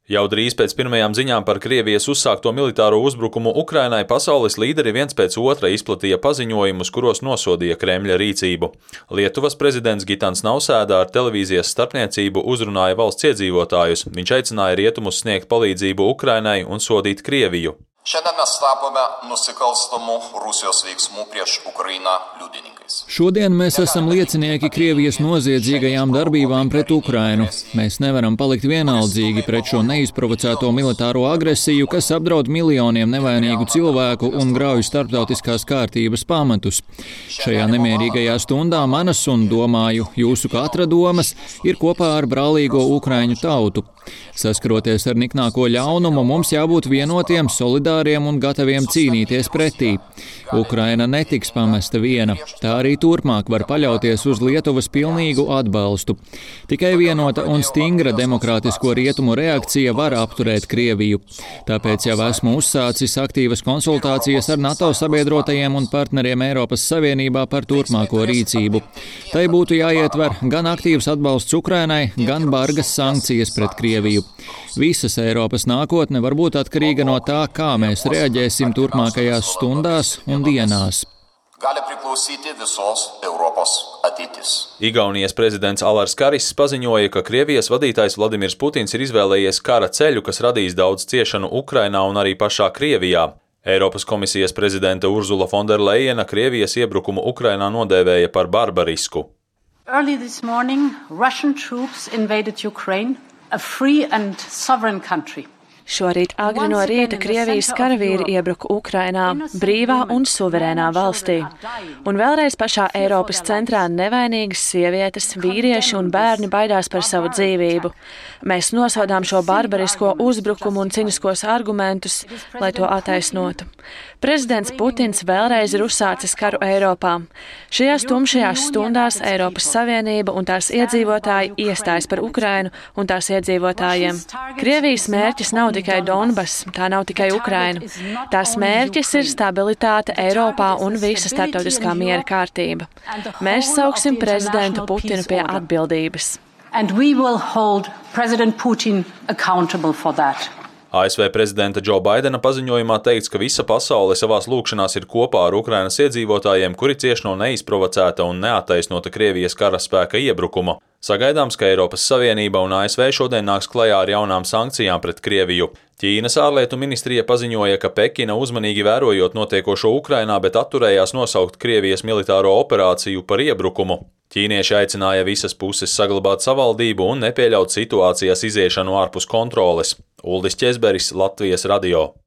Jau drīz pēc pirmajām ziņām par Krievijas uzsākto militāro uzbrukumu Ukrainai pasaules līderi viens pēc otra izplatīja paziņojumus, kuros nosodīja Kremļa rīcību. Lietuvas prezidents Gitans Nausēda ar televīzijas starpniecību uzrunāja valsts iedzīvotājus. Viņš aicināja rietumus sniegt palīdzību Ukrainai un sodīt Krieviju. Šiandien mes tapome nusikalstamų Rusijos veiksmų prieš Ukrainą liudininkais. Šodien mēs esam liecinieki Krievijas noziedzīgajām darbībām pret Ukrainu. Mēs nevaram palikt vienaldzīgi pret šo neizprovocēto militāro agresiju, kas apdraud miljoniem nevainīgu cilvēku un grauj starptautiskās kārtības pamatus. Šajā nemierīgajā stundā manas un, domāju, jūsu katra domas ir kopā ar brālīgo ukraiņu tautu. Saskaroties ar niknāko ļaunumu, mums jābūt vienotiem, solidāriem un gataviem cīnīties pretī. Ukraina netiks pamesta viena. Tā arī turpmāk var paļauties uz Lietuvas pilnīgu atbalstu. Tikai vienota un stingra demokrātisko rietumu reakcija var apturēt Krieviju. Tāpēc jau esmu uzsācis aktīvas konsultācijas ar NATO sabiedrotajiem un partneriem Eiropas Savienībā par turpmāko rīcību. Tai būtu jāietver gan aktīvs atbalsts Ukrainai, gan bargas sankcijas pret Krieviju. Visas Eiropas nākotne var būt atkarīga no tā, kā mēs reaģēsim turpmākajās stundās un dienās. Gali priklausyti visos Europos ateitis. Igaunijas prezidents Alars Karis paziņoja, ka Krievijas vadītājs Vladimirs Putins ir izvēlējies kara ceļu, kas radīs daudz ciešanu Ukrainā un arī pašā Krievijā. Eiropas komisijas prezidente Ursula von der Leyena Krievijas iebrukumu Ukrainā nodēvēja par barbarisku. Early this morning, Russian troops invaded Ukraine, a free and sovereign country. Šorīt agri no rīta Krievijas karavīri iebruka Ukrainā, brīvā un suverēnā valstī. Un vēlreiz pašā Eiropas centrā nevainīgas sievietes, vīrieši un bērni baidās par savu dzīvību. Mēs nosodām šo barbarisko uzbrukumu un ciniskos argumentus, lai to attaisnotu. Prezidents Putins vēlreiz ir uzsācis karu Eiropā. Šajās tumšajās stundās Eiropas Savienība un tās iedzīvotāji iestājas par Ukrainu un tās iedzīvotājiem. Krievijas mērķis nav tikai Donbass, tā nav tikai Ukraina. Tās mērķis ir stabilitāte Eiropā un visa starptautiskā miera kārtība. Mēs sauksim prezidentu Putinu pie atbildības. And we will hold President Putin accountable for that. ASV prezidenta Džo Baidena paziņojumā teikts, ka visa pasaule savās lūgšanās ir kopā ar Ukrainas iedzīvotājiem, kuri cieš no neizprovocēta un neattaisnota Krievijas karaspēka iebrukuma. Sagaidāms, ka Eiropas Savienība un ASV šodien nāks klajā ar jaunām sankcijām pret Krieviju. Ķīnas ārlietu ministrija paziņoja, ka Pekina uzmanīgi vērojot notiekošo Ukrainā, bet atturējās nosaukt Krievijas militāro operāciju par iebrukumu. Ķīnieši aicināja visas puses saglabāt savaldību un nepieļaut situācijas iziešanu ārpus kontroles. Uldis Ķezberis, Latvijas radio.